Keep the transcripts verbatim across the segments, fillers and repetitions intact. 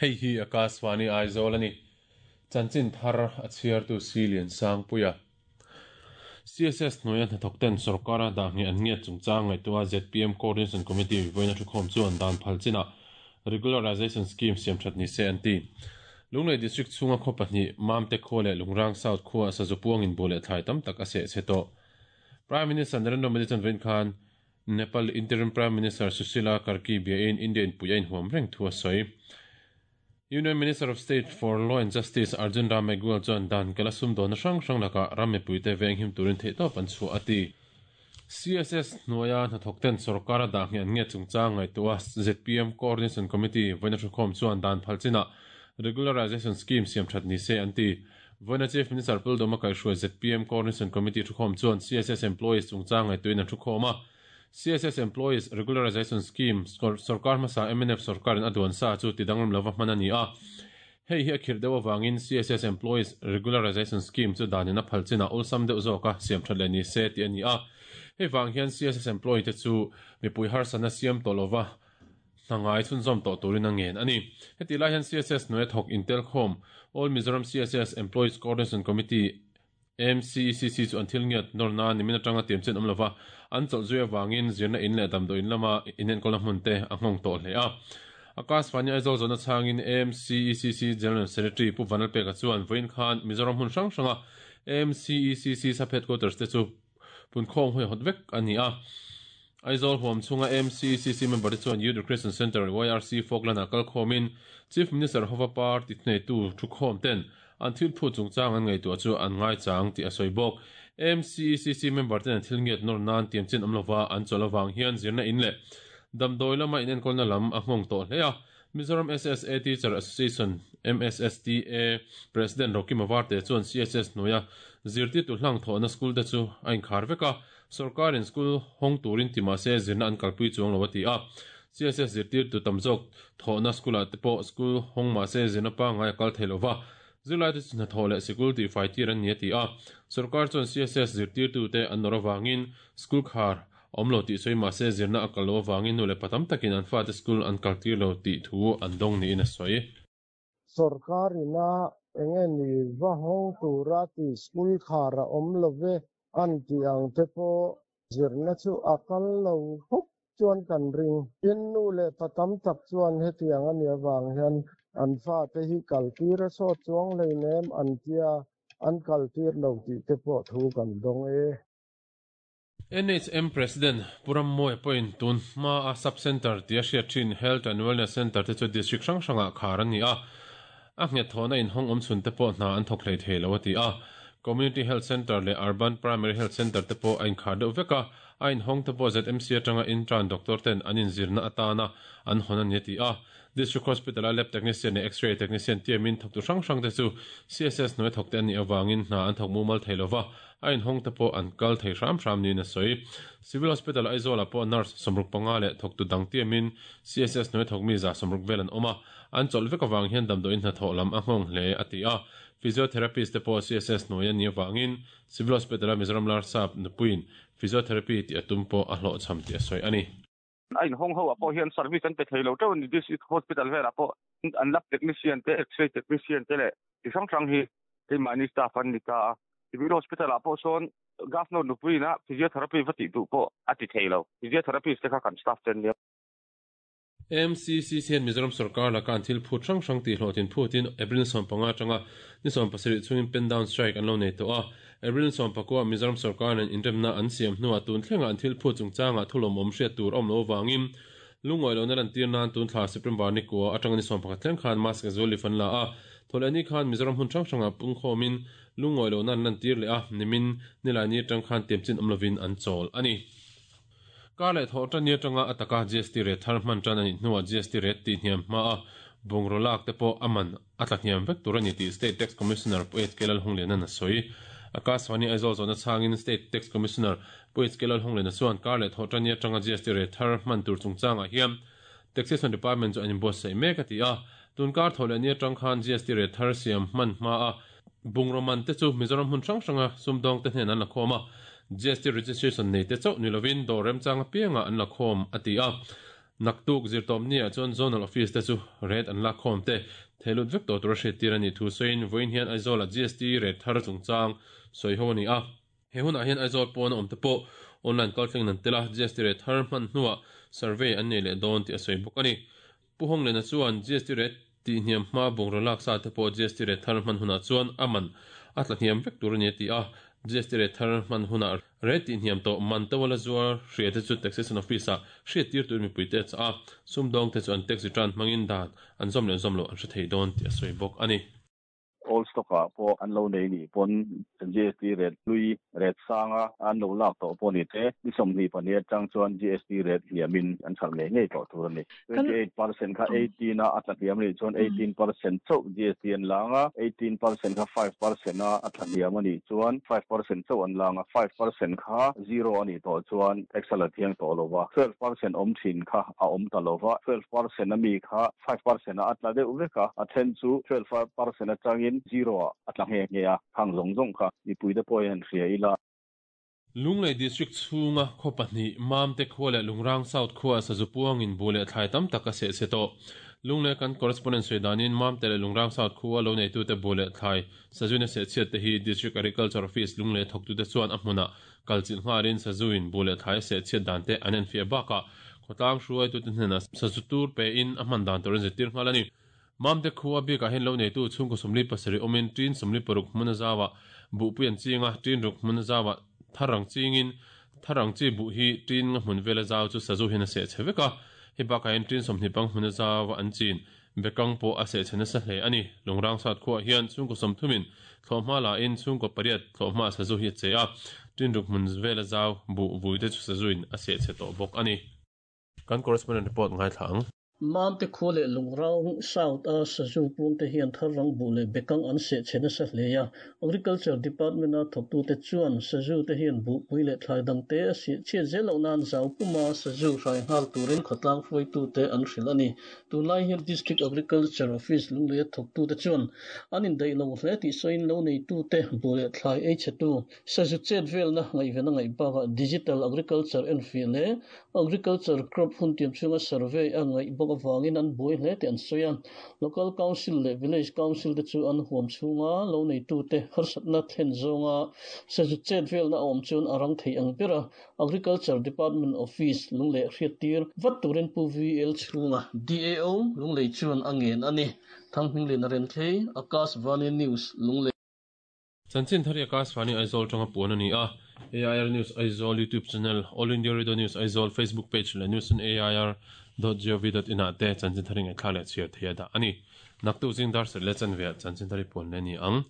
Hei hi Akashvani Aizawl a ni. Chanchin thar a chhiartu Silian Sangpuia. C S S hnuaia hnathawk ten sorkara dah nge an ngiat chungchang ngaihtuah Z P M Coordination Committee vawiina thukhawm chuan dan phal chinah Regularization Scheme siam that ni se an ti. Lunglei District chhunga khaw pahnih Mamte khaw leh Lungrang South khua sazu puangin buh leh thlai tam tak a seh che tawh. Prime Minister Narendra Modi chuan vawiin khan Nepal Interim Prime Minister Sushila Karki biain India in pui a inhuam reng thu a sawi. Union Minister of State for Law and Justice Arjun Ram Meghwal chuan dan kala sum dawna hrang hrang lakah ram mipuite veng him turin theihtawp an chhuah a ti. C S S hnuaia hnathawk ten sorkara dah nge an nge chungchang ngaihtuah Z P M Coordination Committee vawiina thukhawm chuan dan phal chinah Regularization Scheme siam that ni se an ti. Vawiina Chief Minister Pu Lalduhoma kaihhruai Z P M Coordination Committee thukhawm chuan C S S employees chungchang ngaihtuahin an thukhawm a. C S S Employees Regularization Scheme sorkar hmasa M N F sorkarin a duan sa chu tidanglam lova hman a ni a. Hei hi a khirh deuh awangin C S S Employees Regularization Scheme chu danin a phal chinah awlsam deuh zawka siam that leh ni se tih a ni a. Hei vang hian C S S employee te chu mipui harsana siam tawh lova hnangai chhunzawm tawh turin a ngen a ni. Heti lai hian C S S hnuaia thawk intel khawm All Mizoram C S S Employees Coordination Committee M C E C C chu an thil ngiat nawr na nimin atanga tiam chen awm lova an chawlh zui awangin zirna in leh damdawi in lama inenkawlna hmun te a nghawng tawh hle a. Akashvani Aizawl zawhna chhangin M C E C C General Secretary Pu Vanlalpeka chuan vawiin khan Mizoram hmun hrang hranga M C E C C sub headquarters te chu punkhawng hui hawt vek a ni a. Aizawl huam chhunga M C E C C member te chuan Youth Recreation Center Y R C Falkland ah kal khawmin Chief Minister hova party hneitu thukhawm ten an thil phu chungchang an ngaihtuah chu an ngai chang tih a sawi bawk. M C E C C member ten an thil ngiat nawr nan tiam chen awm lova an chawlh awang hian zirna in leh damdawi lama inenkawlna lam a nghawng tawh hle a. Mizoram S S A Teacher Association M S S T A President Rocky Mawarte chuan C S S hnuaia zirtirtu hlang thawhna school te chu a inkhar vek a. Sorkarin school hawng turin ti mahse zirna an kalpui chuang lo a ti a. C S S zirtirtu tam zawk thawhna school ah te pawh school hawng mahse zirna pangngai a kal thei lova. Zirlai te chu hnathawh leh sikul tih fai tir an ni a ti a. Sorkar chuan C S S zirtirtu te an nawr awangin school khar awm lo tih sawi mahse zirna a kal lo awangin nu leh pa tam takin an fate school an kal tir lo tih thu an dawng niin a sawi. Sorkarina enge ni va hawng tura ti school khar a awm love an ti ang te pawh zirna chu a kal lo khawp chuan kan ring. Tin nu leh pa tam tak chuan hetiang ani awang hian an fa te hi kal tir a sawt chuang hleinem an tia an kal tir lo tih te pawh thu kan dawng e. N H M President Puram Moy point tun hma a sub center tia hriat thin Health and Wellness Center te chu district hrang hranga khar an ni a. A nghet thawhna in hawng awm chhun te pawh hna an thawk hlei thei lo a ti a. Community Health Center leh Urban Primary Health Center te pawh a inkhar deuh vek a. A in hawng te pawh Z M C atanga intern doctor ten an inzirna atana an hawn a ni a ti a. District Hospital a lab technician leh X-ray technician tiamin thawktu hrang hrang te chu C S S hnuai thawk te an nih awangin hna an thawk mumal thei lova. A in hawng te pawh an kal thei hram hram niin a sawi. Civil Hospital Aizawl ah pawh nurse sawmruk panga leh thawktu dang tiamin C S S hnuai thawk mi za sawmruk vel an awm a. An chawlh vek awang hian damdawi in hnathawh lam a nghawng hle a ti a. Physiotherapist te pawh C S S hnuai an nih awangin Civil Hospital a Mizoram Larsap nupuiin physiotherapy tih a tum pawh a hlawh cham tih a sawi a ni. A in hawng ho ah pawh hian service an pe thei lo teuh ani. District Hospital velah pawh an lab technician te, X-ray technician te leh ti hrang hrang hi keimahni staff an ni ta a. Civil Hospital ah pawh sawn governor nupuiin a physiotherapy va tih duh pawh a ti thei lo. Physiotherapist te kha kan staff ten nia. M C C C hian Mizoram sarkar laka an thil phut hrang hrang tih hlawhtin phutin April sawm panga atanga ni sawm pasarih chungin pen down strike an lo nei tawh a. April sawm pakua Mizoram sarkar nen inremna an siam hnuah tun thlenga an thil phut chungchanga thulawm awm hriat tur awm lo awangin lungawi lo na lan tir nan tun thla September ni kua atanga ni sawm pakhat thleng khan mass casual leave an la a. Thawleh ni khan Mizoram hun hrang hranga pungkhawmin lungawi lo na an lan tir leh a. Nimin nilai ni atang khan tiamchin awm lovin an chawl a ni. Kar leh thawh tan ni atanga ataka G S T rate thar hman tan ani hnuah G S T rate ti hniam hma a bungraw lak te pawh aman a tla hniam vek tur ani tih State Tax Commissioner Pu H K Lalhunglian a sawi. Akashvani Aizawl zawhna chhangin State Tax Commissioner Pu H K Lalhunglian chuan kar leh thawh tan ni atanga G S T rate thar hman tur chungchangah hian Taxation Department chu an inbuatsaih mek a ti a. Tun kar thawh leh ni atang khan G S T rate thar siam hman hma a bungraw man te chu Mizoram hmun hrang hranga sumdawng te hnen an la khawm a. G S T registration nei te chauh ni lovin dawr remchang apianga an la khawm a ti a. Naktuk zirtawm ni ah chuan zonal office te chu rate an lak khawm te theilut vek tawh tura hriat tir a ni thu sawiin vawiin hian Aizawl ah G S T rate thar chungchang sawi ho a ni a. He hunah hian Aizawl pawn a awm te pawh online kalthleng an tel a, G S T rate thar hman hnuah survey an nei leh dawn tih a sawi bawk a ni. Pu Honglena chuan G S T rate tih hniam hma bungraw lak sa te pawh G S T rate thar hman hunah chuan a man a tla hniam vek tur a ni a ti a. G S T rate thar hman hunah rate tih hniam tawh man to la zuar hria te chu taxation office ah hriat tir tur mipui te a chah a, sumdawng te chu an tax return hmangin dan an zawm leh zawm loh an hre thei dawn tih a sawi bawk a ni. Old stock ah pawh an lo nei nih pawn G S T rate hlui rate sanga an lo lak tawh pawh ni te ni sawmhnih pahnih atang chuan G S T rate hniamin an hralh ngei ngei tawh tur a ni. twenty eight percent kha eighteen a a tla hniam a nih chuan eighteen percent chauh G S T an lang a, eighteen percent kha five percent a a tla hniam a nih chuan five percent chauh an lang a, five percent kha zero a nih tawh chuan tax a la thiang tawh lo va, twelve percent awm thin kha a awm ta lo va, twelve percent a mi kha five percent a a tla deuh vek a, a then chu twelve percent atangin zero a a tla nge nge a, khang zawng zawng kha mipui te pawh hian hria ila. Lunglei district chhunga khaw pahnih Mamte khua leh Lungrang South khua sazu puangin bu leh thlai tam tak a seh che tawh. Lunglei kan correspondent sawi danin Mamte leh Lungrang South khua lo neitute bu leh thlai sazuin a seh chhiat te hi District Agriculture Office Lunglei thawktute chuan a hmunah kalchilh nghalin sazuin bu leh thlai a seh chhiat dan te an enfiah bakah khawtlang hruaitute hnenah sazu tur pein a hman dan tur an zirtir nghal a ni. Mamte khua bikah hian lo neitu chhungkaw sawmli pasarih awmin tin sawmli paruk hmun a zawa buhpui an chinga tin ruk hmun a zawa tharang chingin tharang chi buh hi tin nga hmun vela zau chu sazu hian a seh che vek a, hei bakah hian tin sawmhnih pang hmun a zawa an chin bekang pawh a seh che nasa hle a ni. Lungrang South khuaah hian chhungkaw sawmthumin thlawhhma lahin chhungkaw pariat thlawhhma sazu hi a che a, tin ruk hmun vela zau buh vui te chu sazuin a seh che tawh bawk a ni. Kan correspondent report ngai thla ang. Mamte khua leh Lungrang South a sazu puangte hian tharang bu leh bekang an seh che nasa hle a. Agriculture Department a thawktute chuan sazu te hian buhpui leh thlai dang te a seh chhiat zel loh nan zau puma sazu hrai nghal turin khawtlang hruaitute an hrilh a ni. Tunlai hian District Agriculture Office Lunglei a thawktute chuan an indaih lo hle tih sawiin lo neitute bu leh thlai ei chhetu sazu chet velna ngaihven a ngaih bakah Digital Agriculture enfiah leh Agriculture crop hun tiam chhunga survey a ngaih bawk awangin an buai hle tih an sawi a. Local Council leh Village Council te chu an huam chhunga lo neitute harsatna thlen zawnga sazu chet velna a awm chuan a rang thei ang ber a. Agriculture Department Office Lunglei hriat tir vat turin Pu V L chhunga D A O Lunglei chuan a ngen a ni. Thanghminglin a rem thei, Akashvani News Lunglei. Chanchin thari Akashvani Aizawl tanga puan a ni a. A I R News Aizawl YouTube channel, All India Radio News Aizawl Facebook page leh news on A I R dot gov dot in ah te chanchin thari ngaihthla leh chhiar thei a dah a ni. Naktu zing dar serh leh chanve ah chanchin thari puan leh ni ang.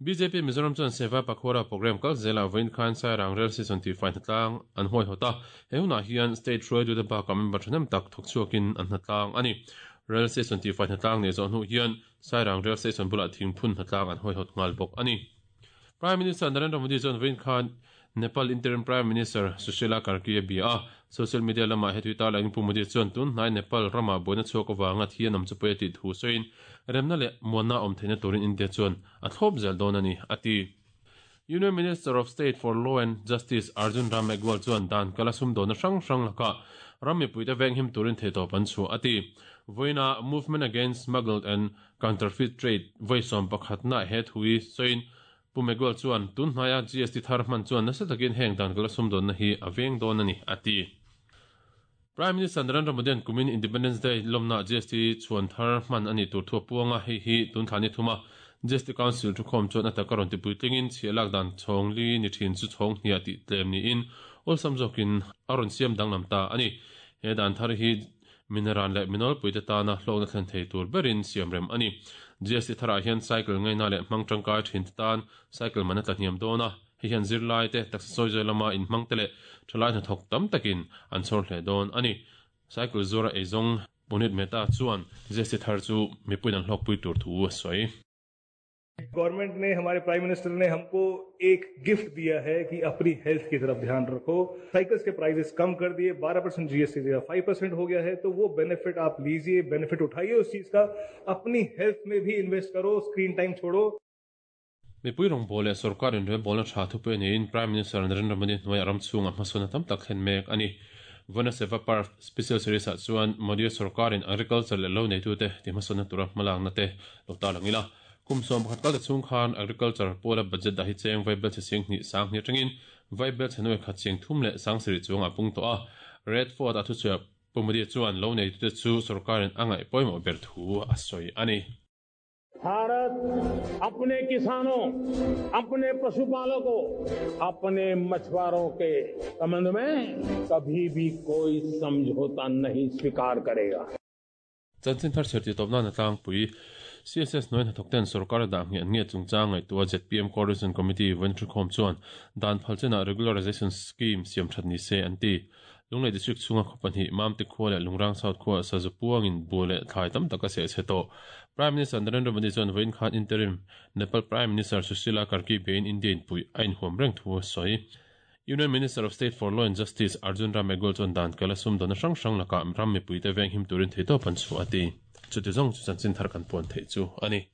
B J P Mizoram chuan Seva Pakhwara program kal zela vawiin khan Sairang Rail Station tih fai hnatlang an huai hawt a. He hunah hian state hruaitute bakah member thahnem tak thawk chhuakin an hnatlang a ni. Rail Station tih fai hnatlang nei zawh hnu hian Sairang Rail Station bulah thingphun hnatlang an huai hawt nghal bawk a ni. Prime Minister Narendra Modi chuan vawiin khan Nepal Interim Prime Minister Sushila Karki a bia a. Social media lamah he tui tarlangin Pu Modi chuan tun hnai Nepal rama buaina chhuak awanga thi an awm chu pawi a tih thu sawiin remna leh muanna awm theihna turin India chuan a thlawp zel dawn a ni a ti. Union Minister of State for Law and Justice Arjun Ram Meghwal chuan dan kala sum dawna hrang hrang lakah ram mipuite venghim turin theitawp an chhuah a ti. Vawiina Movement Against Smuggled and Counterfeit Trade vawi sawm pakhatna he thui sawiin Pu Meghwal chuan tun hnaia G S T thar hman chuan nasa takin heng dan kala sum dawnna hi a veng dawn a ni a ti. Prime Minister Narendra Modi an kumin Independence Day lawmna G S T chuan thar hman a ni tur thu a puanga hei hi tun thla ni thuma G S T Council thu khawm chuan a taka rawn tipui tlingin chhiah lak dan chhawng li ni thin chu chhawng hniah tih tlem niin awlsam zawkin a rawn siam danglam ta a ni. He dan thar hi mineral leh minol puite tana hlawkna thlen thei tur berin siam rem a ni. G S T tharah hian cycle ngaina leh hmang tangkai thin te tan cycle man a tla hniam dawn a, hei hian zirlai te taksa sawi zawi lama inhmang te leh thalai hnathawk tam takin an chhawr hle dawn a ni. Cycle zuara eizawng Punit Mehta chuan G S T thar chu mipuiin an hlawkpui tur thu a sawi. Government ने हमारे prime minister ने हमको एक gift दिया है कि अपनी हेल्थ की तरफ ध्यान रखो। साइकिल्स के प्राइसेस कम कर दिए, बारह परसेंट जीएसटी जगह फाइव परसेंट हो गया है, तो वो बेनिफिट आप लीजिए, बेनिफिट उठाइए उस चीज का, अपनी हेल्थ में भी इन्वेस्ट करो, स्क्रीन टाइम छोड़ो। Mipui rawng bawl leh sarkarin rel bawlna tha thu pawh niin Prime Minister Narendra Modi hnuai a ram chhunga hmasawn tam tak thlen mek a ni. Vana Seva Parv Special Series ah chuan Modi sarkarin agriculture leh lo neitute ti hmasawnna tura hmalakna te lo tarlang ila. Kum sawm pakhat kal ta chhung khan agriculture pawla budget dah hi cheng vaibel chhe sing hnih sang hnih atangin vaibel chhe nuai khat cheng thum leh sang sarih chuang a pung tawh a. Red Fort a thuchhuah Pu Modi chuan lo neitute chu sarkarin a ngaih pawimawh ber thu a sawi a ni. Bharat अपने किसानों, अपने पशुपालकों, अपने मछुआरों के संबंध में कभी भी कोई समझौता नहीं स्वीकार करेगा। Chanchin thar chher ti tawpna na tlangpui C S S hnuai hnathawk ten sarkar a dah ngheh an nge chungchang ngaihtuah Z P M Coordination Committee Venture Khawm chuan dan phal chenah regularization scheme siam that ni se an ti. Lunglei district chhunga khaw pahnih Mamte khua leh Lungrang South khua sazu puangin bu leh thlai tam tak a seh chhe tawh. Prime Minister Narendra Modi chuan vawiin khan interim Nepal Prime Minister Sushila Karki bein India in pui a inhuam reng thu a sawi. Union Minister of State for Law and Justice Arjun Ram Meghwal chuan dan kal a sum dawna hrang hrang lakah ram mipui te veng him turin theitawp an chhuah a ti. Chuti zawng chu chanchin thar kan puan theih chu a ni.